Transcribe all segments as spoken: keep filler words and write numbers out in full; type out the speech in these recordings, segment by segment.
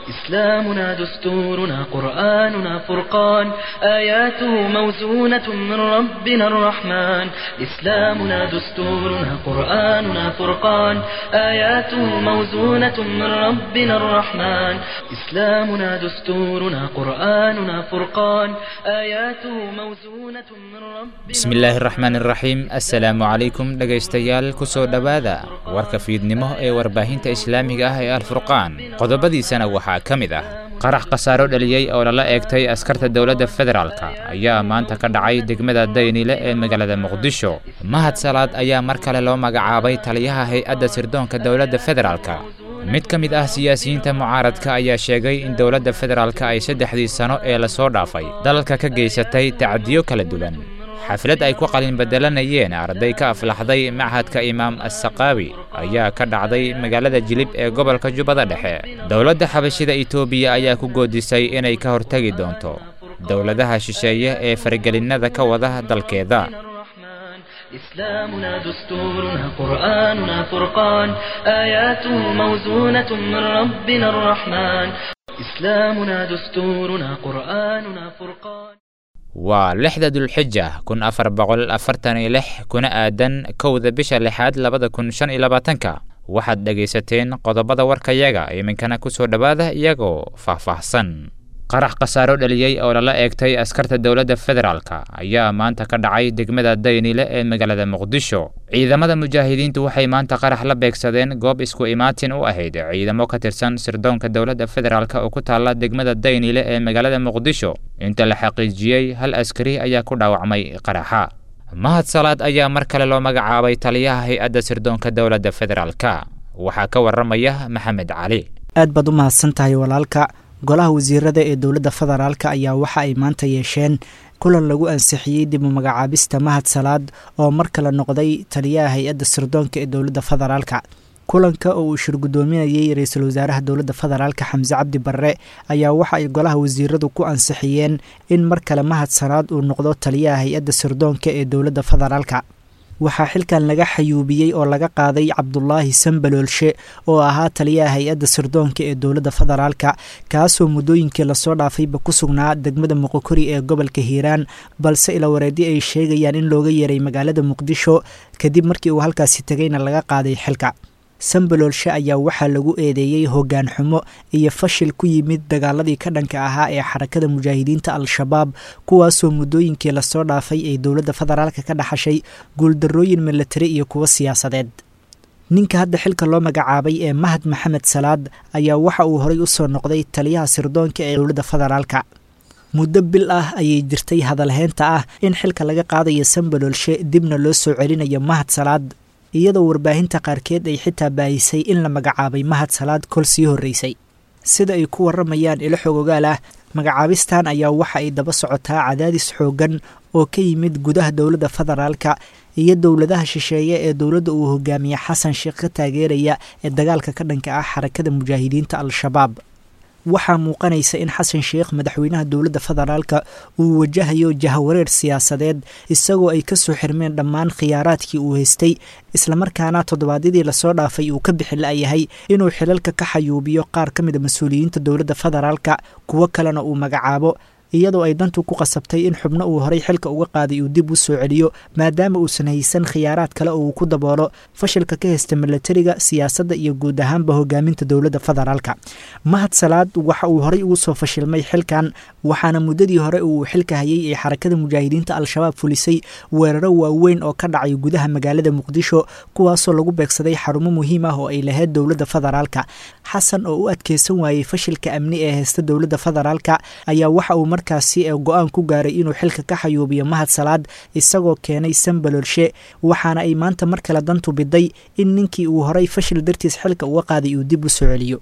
إسلامنا دستورنا قرآننا فرقان آياته موزونة من ربنا الرحمن إسلامنا دستورنا قرآننا فرقان آياته موزونة من ربنا الرحمن إسلامنا دستورنا قرآننا فرقان آياته موزونة من ربنا. Bismillaahi raxmaan iraxiim. Assalaamu calaykum dhegaystayaal, kusoo dhowaada warka fiidnimo ee warbaahinta islaamiga ah ee Alfurqaan. Qodobadiisana waxaa ka mid ah qarax khasaaro dhaliyey oo lala eegtay askarta dowladda federaalka ayaa maanta ka dhacay degmada Daynile ee magaalada Muqdisho. Mahad Salaad ayaa mar kale loo magacaabay taliyaha hay-adda sirdoonka dowladda federaalka. Mid ka mid ah siyaasiyiinta mucaaradka ayaa sheegay in dowladda federaalka ay saddexdii sano ee lasoo dhaafay dalalka ka geysatay tacdiyo kala duwan. Xaflad ay ku qalin bedelanayeen arday ka aflaxday machadka Imaam Assaqaawi ayaa ka dhacday magaalada Jilib ee gobolka Jubbada Dhexe. Dowladda Xabashida Itoobiya ayaa ku goodisay inay ka hortegi doonto dowladaha shisheeye ee fargelinnada ka wada dalkeeda. إسلامنا دستورنا قرآننا فرقان آياته موزونة من ربنا الرحمن إسلامنا دستورنا قرآننا فرقان. Waa lixda Dulxija kun afar boqol afartan iyo lix, kuna aadan kowda bisha lixaad labada kun shan iyo labaatanka. Waxaad dhegaysateen qodobada warkayaga, iminkana kusoo dhowaada iyagoo faahfaahsan. Qarax khasaaro dhaliyey oo lala eegtay askarta dowladda federaalka ayaa maanta ka dhacay degmada Daynile ee magaalada Muqdisho. Ciidamada mujaahidiintu waxay maanta qarax la beegsadeen goob isku imaatin u ahayd ciidamo ka tirsan sirdoonka dowladda federaalk oo ku taalla degmada Daynile ee magaalada Muqdisho. Inta la xaqiijiyey, hal askari ayaa ku dhaawacmay qaraxa. Mahad Salaad ayaa mar kale loo magacaabay taliyaha hay-adda sirdoonka dowladda federaalka. Waxaa ka waramaya Maxamed Cali. Aad baad u mahadsan tahay walaalka. Golaha wasiirada ee dowladda federaalka ayaa waxa ay maanta yeesheen kulan lagu ansixiyey dib u magacaabista Mahad Salaad oo mar kale noqday taliyaha hay-adda sirdoonka ee dowladda federaalka. Kulanka oo uu shir guddoominayey ra-iisul wasaaraha dowladda federaalka Xamse Cabdi Barre ayaa waxa ay golaha wasiiradu ku ansixiyeen in mar kale Mahad Salaad uu noqdo taliyaha hay-adda sirdoonka ee dowladda federaalka. Waxaa xilkan laga xayuubiyey oo laga qaaday Cabdulaahi Sambaloolshe oo ahaa taliyaha hay-adda sirdoonka ee dowladda federaalka, kaasoo muddooyinkii lasoo dhaafayba ku sugnaa degmada Muqokori ee gobolka Hiiraan, balse ilawareedyo ay sheegayaan in looga yeeray magaalada Muqdisho kadib markii uu halkaasi tegayna laga qaaday xilka. Sambaloolshe ayaa waxaa lagu eedeeyey hoggaan xumo iyo fashil ku yimid dagaaladii ka dhanka ahaa ee xarakada mujaahidiinta Al-Shabaab, kuwaasoo muddooyinkii lasoo dhaafay ay dowladda federaalka ka dhaxashay guuldarrooyin milatari iyo kuwo siyaasadeed. Ninka hadda xilka loo magacaabay ee Mahad Maxamed Salaad ayaa waxa uu horay usoo noqday taliyaha sirdoonka ee dowladda federaalka. Muddo bil ah ayay jirtay hadalheynta ah in xilka laga qaadayo Sambaloolshe dibna loo soo celinayo Mahad Salaad, iyadoo warbaahinta qaarkeed ay xitaa baahisay in la magacaabay Mahad Salaad kol sii horreysay. Sida ay ku warramayaan ilo xogogaal ah, magacaabistan ayaa waxa ay daba socotaa cadaadis xooggan oo ka yimid gudaha dowladda federaalka iyo dowladaha shisheeye ee dowladda uu hogaamiye Xasan Sheekh ka taageeraya ee dagaalka ka dhanka ah xarakada mujaahidiinta Al-Shabaab. Waxaa muuqanaysa in Xasan Sheekh, madaxweynaha dowladda federaalka, uu wajahayo jahawareer siyaasadeed, isagoo ay kasoo xirmeen dhammaan khiyaaraadkii uu haystay, islamarkaana toddobaadyadii lasoo dhaafay uu ka bixi la-yahay inuu xilalka ka xayuubiyo qaar ka mid a mas-uuliyiinta dowladda federaalka, kuwo kalena uu magacaabo, iyadoo ay dantu ku qasabtay in xubno uu horay xilka uga qaaday uu dib u soo celiyo, maadaama uusan haysan khiyaaraad kale oo uu ku daboolo fashilka ka haysta milatariga, siyaasadda iyo guud ahaanba hogaaminta dowladda federaalka. Mahad Salaad waxa uu horay ugu soo fashilmay xilkan, waxaana muddadii hore uu xilka hayay ee xarakada mujaahidiinta Al-Shabaab fulisay weeraro waaweyn oo ka dhacay gudaha magaalada Muqdisho, kuwaasoo lagu beegsaday xarumo muhiim ah oo ay lahayd dowladda federaalka. Xasan oo u adkeysan waayey fashilka amni ee haysta dowladda federaalka ayaa waxa uu markaasi ee go-aan ku gaaray inuu xilka ka xayuubiyo Mahad Salaad, isagoo keenay Sambaloolshe, waxaana ay maanta mar kale dantu biday in ninkii uu horay fashil dartiis xilka uga qaaday uu dib u soo celiyo.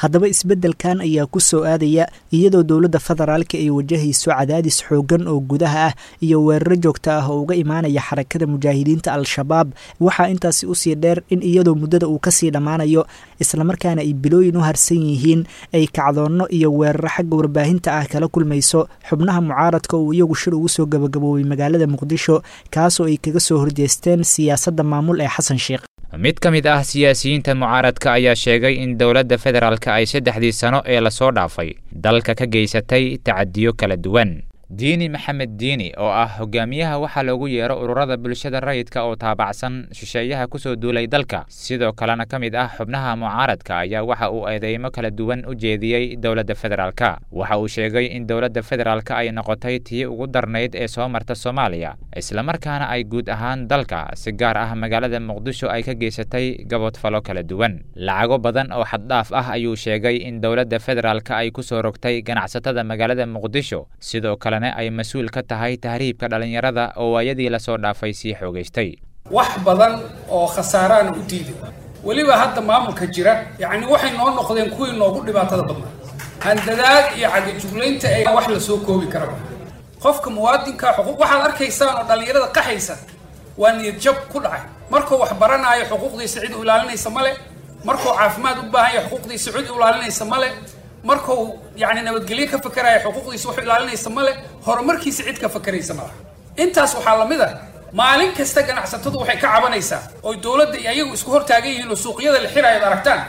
Haddaba isbeddelkan ayaa ku soo aadaya iyadoo dowladda federaalka ay wajahayso cadaadis xooggan oo gudaha ah iyo weeraro joogto ah oo uga imaanaya xarakada mujaahidiinta Al-Shabaab. Waxaa intaasi usii dheer in iyadoo muddada uu kasii dhammaanayo islamarkaana ay bilooyin u harsan yihiin ay kacdoonno iyo weeraro xagga warbaahinta ah kala kulmayso xubnaha mucaaradka uu iyagu shir ugu soo gabagaboobay magaalada Muqdisho, kaasoo ay kaga soo horjeesteen siyaasadda maamul ee Xasan Sheekh. Mid ka mid ah siyaasiyiinta mucaaradka ayaa sheegay in dowladda federaalka ay saddexdii sano ee lasoo dhaafay dalka ka geysatay tacadiyo kala duwan. Diini Maxamed Diini oo ah hogaamiyaha waxaa loogu yeero ururada bulshada rayidka oo taabacsan shisheeyaha kusoo duulay dalka, sidoo kalena ka mid ah xubnaha mucaaradka, ayaa waxa uu eedeymo kala duwan u jeediyey dowladda federaalka. Waxa uu sheegay in dowladda federaalka ay noqotay tii ugu darnayd ee soo marta Soomaaliya, islamarkaana ay guud ahaan dalka, si gaar ah magaalada Muqdisho, ay ka geysatay gaboodfalo kala duwan. Lacago badan oo xaddhaaf ah ayuu sheegay in dowladda federaalka ay kusoo rogtay ganacsatada magaalada Muqdisho, sidoo kale ay mas-uul ka tahay tahriibka dhallinyarada oo waayadii lasoo dhaafay sii xoogaystay. Wax badan oo khasaaraana u diiday weliba hadda maamulka jira, yacni waxay noo noqdeen kuwii noogu dhibaatada badnaa, handadaad iyo cagajuglaynta ay wax lasoo koobi karaba. Qofka muwaadinka xuquuq waxaad arkaysaan oo dhallinyarada qaxaysa waa niyad jab ku dhacay. Markuu wax baranaayo xuquuqdiisa cid u ilaalinaysa male, markuu caafimaad u baahan yahay xuquuqdiisa cid u ilaalinaysa male, markuu yacni nabadgelyo ka fakeraya xuquuqdiisa wax ilaalinaysa male, horumarkiisa cid ka fakeraysa malaha. Intaas waxaa lamid ah maalin kasta ganacsatadu waxay ka cabanaysaa oy dowladda iyo ayagu isku hortaagan yihiin oo suuqyada la xirayo ad aragtaan.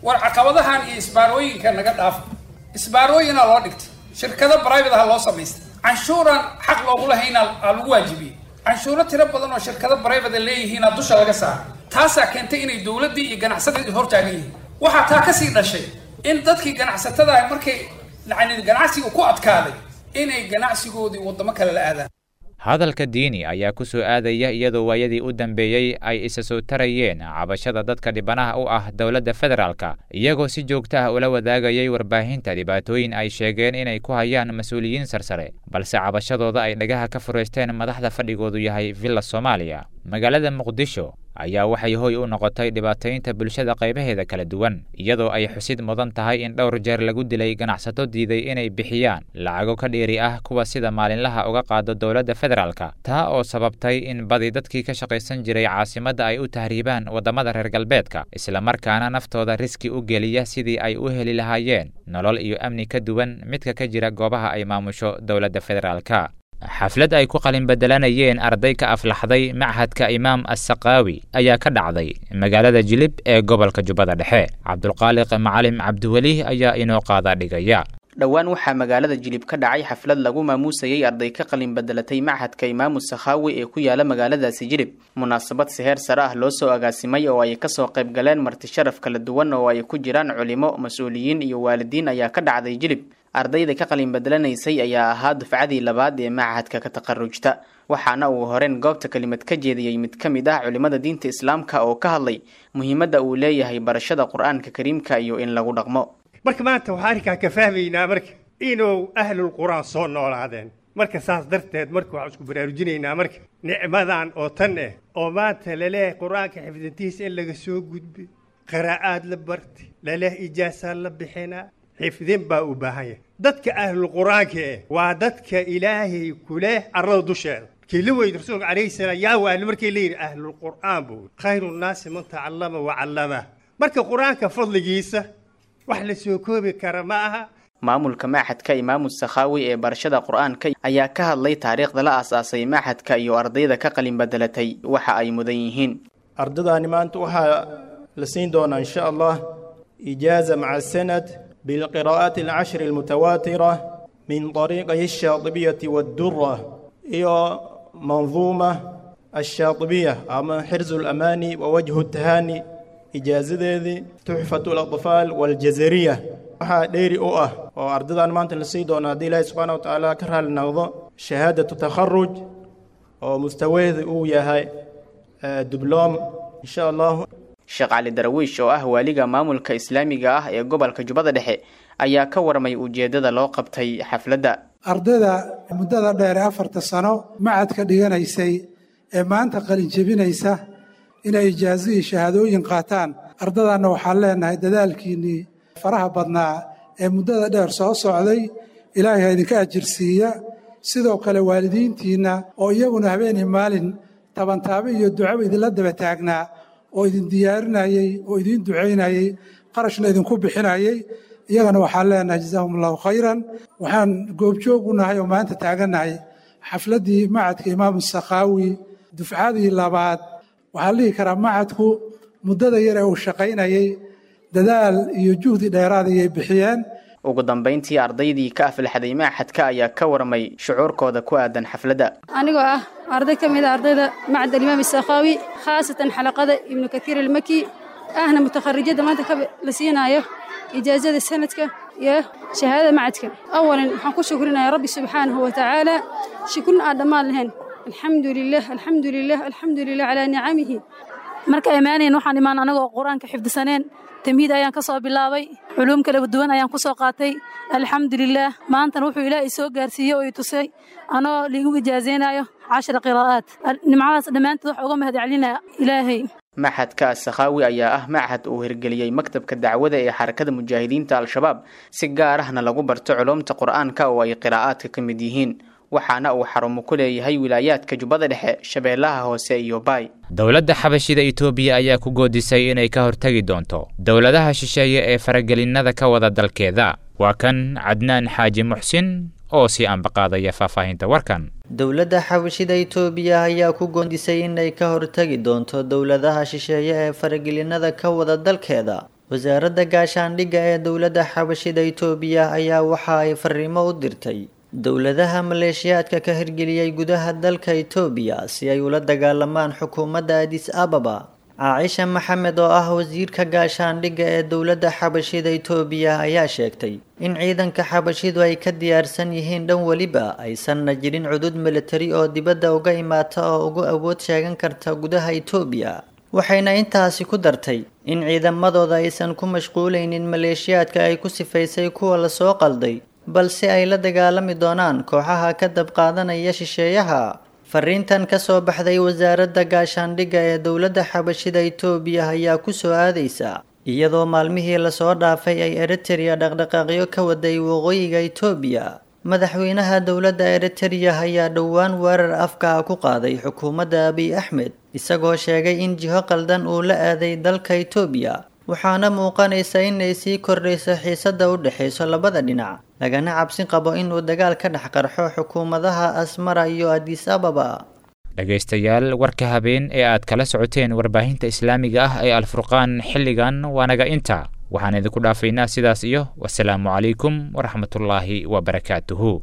War caqabadahan iyo isbaarooyinka naga dhaafa. Isbaarooyinaa loo dhigtay, shirkado private aha loo samaystay, canshuuraan xaq loogula haynaa aa lagu waajibiyey, canshuuro tiro badan oo shirkado private leeyihiinaa dusha laga saara. Taasaa keentay inay dowladdii iyo ganacsatadii hortaagan yihiin. Waxaa taa kasii dhashay in dadkii ganacsatada ah markay yacni ganacsiga ku adkaaday inay ganacsigoodii waddamo kale la aadaan. Hadalka Diini ayaa ku soo aadaya iyadoo waayadii u dambeeyey ay isa soo tarayeen cabashada dadka dhibanaha u ah dowladda federaalka, iyagoo si joogto ah ula wadaagayay warbaahinta dhibaatooyin ay sheegeen inay ku hayaan mas-uuliyiin sarsare, balse cabashadooda ay dhagaha ka fureysteen madaxda fadhigoodu yahay Villa Soomaaliya. Magaalada Muqdisho ayaa waxay hoy u noqotay dhibaataynta bulshada qaybaheeda kala duwan, iyadoo ay xusid mudan tahay in dhowr jeer lagu dilay ganacsato diiday inay bixiyaan lacago ka dheeri ah kuwa sida maalinlaha uga qaado dowladda federaalka, taa oo sababtay in badi dadkii ka shaqaysan jiray caasimadda ay u tahriibaan waddamada reer galbeedka, islamarkaana naftooda riski u geliya sidii ay u heli lahaayeen nolol iyo amni ka duwan midka ka jira goobaha ay maamusho dowladda federaalka. Xaflad ay ku qalin bedelanayeen arday ka aflaxday machadka Imaam Assaqaawi ayaa ka dhacday magaalada Jilib ee gobolka Jubbada Dhexe. Cabdulqaaliq Macalim Cabdiweli ayaa inoo qaada dhigaya. Dhowaan waxaa magaalada Jilib ka dhacay xaflad lagu maamuusayay arday ka qalin bedelatay machadka Imaamu Sakhaawi ee ku yaala magaaladaasi Jilib. Munaasabad si heer sare ah loo soo agaasimay oo ay kasoo qayb galeen marti sharaf kala duwan oo ay ku jiraan culimo, mas-uuliyiin iyo waalidiin ayaa ka dhacday Jilib. Ardayda ka qalin bedelanaysay ayaa ahaa dufcadii labaad ee machadka ka taqarujta, waxaana uu horeen goobta kelimad ka jeediyey mid ka mid ah culimada diinta islaamka oo ka hadlay muhiimadda uu leeyahay barashada Qur-aanka kariimka iyo in lagu dhaqmo. Marka maanta waxaan arrinkaa ka fahmaynaa marka inuu ahlul qur-aan soo noolaadeen. Marka saas darteed marka waxaan isku baraarujinaynaa marka nicmadan oo tan eh oo maanta laleeyahay qur-aanka xifdintiisa in laga soo gudbi, qiraa'aad la bartay, laleeyahay ijaasaa la bixinaa, xifdin baa u baahan yahay. Dadka ahlul qur-aanka eh waa dadka ilaahay kuleh arlada dusheeda. Markii la weydi rasuulka calayhi salaam yaa waali, markii la yidhi ahlul qur-aan buu khayru nnaasi man tacallama wa callama. Marka qur-aanka fadligiisa wax la soo koobi kara ma aha. Maamulka machadka Imaamu Sakhaawi ee barashada qur-aanka ayaa ka hadlay taariikhda la aas-aasay machadka iyo ardayda ka qalin bedelatay waxa ay mudan yihiin. Ardadaani maanta waxaa la siin doonaa insha Allah ijaaza maca sanad bilqiraa'aati alcashri almutawaatira min طariiqay alshaatibiyati waddura iyo manduuma alshaatibiya ama xirzu alamaani wa wajhu tahaani, ijaazadeedii tuxfatu alatfaal waljazariya. Waxaa dheeri u ah oo ardadan maanta la sii doona haddii ilaahi subxaana wa tacaala ka raali noqdo shahaadatu takharuj oo mustawaheedu uu yahay dibloom insha Allah. Sheekh Cali Darwiish oo ah waaliga maamulka islaamiga ah ee gobolka Jubbada Dhexe ayaa ka warmay ujeedada loo qabtay xafladda. Ardayda muddada dheer ee afarta sano macadka dhiganaysay ee maanta qalin jebinaysa inay ijaazo iyo shahaadooyin qaataan, ardadanna waxaan leenahay dadaalkiinnii faraha badnaa ee muddada dheer soo socday ilaahay ha idinka ajirsiiya. Sidoo kale waalidiintiinna oo iyaguna habeenii maalin tabantaabo iyo ducaba idinla daba taagnaa oo idin diyaarinayey oo idiin ducaynayey qarashna idinku bixinayey, iyagana waxaan leenahay jazaahum allahu khayran. Waxaan goobjoog u nahay oo maanta taagannahay xafladdii macadka Imaamu Sakhaawi dufcadii labaad. Waxaa la dhihi karaa macadku muddada yar ee uu shaqaynayay dadaal iyo juhdi dheeraad ayay bixiyeen. Ugu dambeyntii ardaydii ka aflaxday machadka ayaa ka warmay shucuurkooda ku aadan xafladda. Anigoo ah arday ka mid a ardayda macad alimaam Sakhaawi, khaasatan xalaqada Ibnu Kathiir almaki, ahna mutakharijada maanta ka la siinaayo ijaazada sanadka iyo shahaadada macadka. Awalan waxaan ku shukrinayaa Rabbi subxaanahu wa tacaala, shukrin aan dhammaan lahayn. Alxamdu lilah, alxamdu lilah, alxamdu lilah calaa nicamihi. Marka imaaneen waxaan imaan anagoo qur-aanka xifdisaneen, tamhiid ayaan ka soo bilaabay, culuum kala duwan ayaan ku soo qaatay. Alxamdulilaah, maantana wuxuu ilaah i soo gaarsiiyey oo i tusay anoo liigu ijaazeynayo cashara qiraa'aat. Nimcadaas dhammaantood waxa uga mahad celinaya Ilaahay. Machadka As-Sakhaawi ayaa ah machad uu hirgeliyey maktabka dacwada ee Xarakada Mujaahidiinta Al-Shabaab, si gaar ahna lagu barto culuumta Qur-aanka oo ay qiraa'aadka ka mid yihiin, waxaana uu xarumo ku leeyahay wilaayaadka Jubbada Dhexe, Shabeellaha Hoose iyo Baay. Dowladda Xabashida Itoobiya ayaa ku goodisay inay ka hortagi doonto dowladaha shisheeye ee faragelinada ka wada dalkeeda. Waa kan Cadnaan Xaaji Muxsin oo sii ambaqaadaya faahfaahinta warkan. Dowladda Xabashida Itoobiya ayaa ku goondisay inay ka hortagi doonto dowladaha shisheeye ee faragelinada ka wada dalkeeda. Wasaaradda gaashaandhigga ee dowladda Xabashida Itoobiya ayaa waxa ay fariimo u dirtay dowladaha maleeshiyaadka ka hirgeliyay gudaha dalka Itoobiya si ay ula dagaalamaan xukuumadda Addis Ababa. Caaisha Maxamed oo ah wasiirka gaashaandhigga ee dowladda Xabashida Itoobiya ayaa sheegtay in ciidanka Xabashidu ay ka diyaarsan yihiin dhan weliba, aysanna jirin cudud militari oo dibadda uga imaata oo ugu awood sheegan karta gudaha Itoobiya. Waxayna intaasi ku dartay in ciidamadooda aysan ku mashquulaynin maleeshiyaadka ay ku sifaysay kuwa lasoo qalday, balse ay la dagaalami doonaan kooxaha ka dab qaadanaya shisheeyaha. Fariintan ka soo baxday wasaaradda gaashaandhigga ee dowladda Xabashida Itoobiya ayaa ku soo aadaysa iyadoo maalmihii lasoo dhaafay ay Eritrea dhaqdhaqaaqyo ka waday waqooyiga Itoobiya. Madaxweynaha dowladda Eritrea ayaa dhowaan weerar afka ku qaaday xukuumadda Abiy Axmed, isagoo sheegay in jiho qaldan uu la aaday dalka Itoobiya, waxaana muuqanaysa inay sii kordhayso xiisadda u dhexayso labada dhinac, lagana cabsi qabo inuu dagaal ka dhex qarxo xukuumadaha Asmara iyo Addis Ababa. Dhegaystayaal, warka habeen ee aad kala socoteen warbaahinta islaamiga ah ee Alfurqaan xilligan waa naga inta. Waxaan idinku dhaafaynaa sidaas iyo wasalaamu calaykum waraxmatullaahi wabarakaatuhu.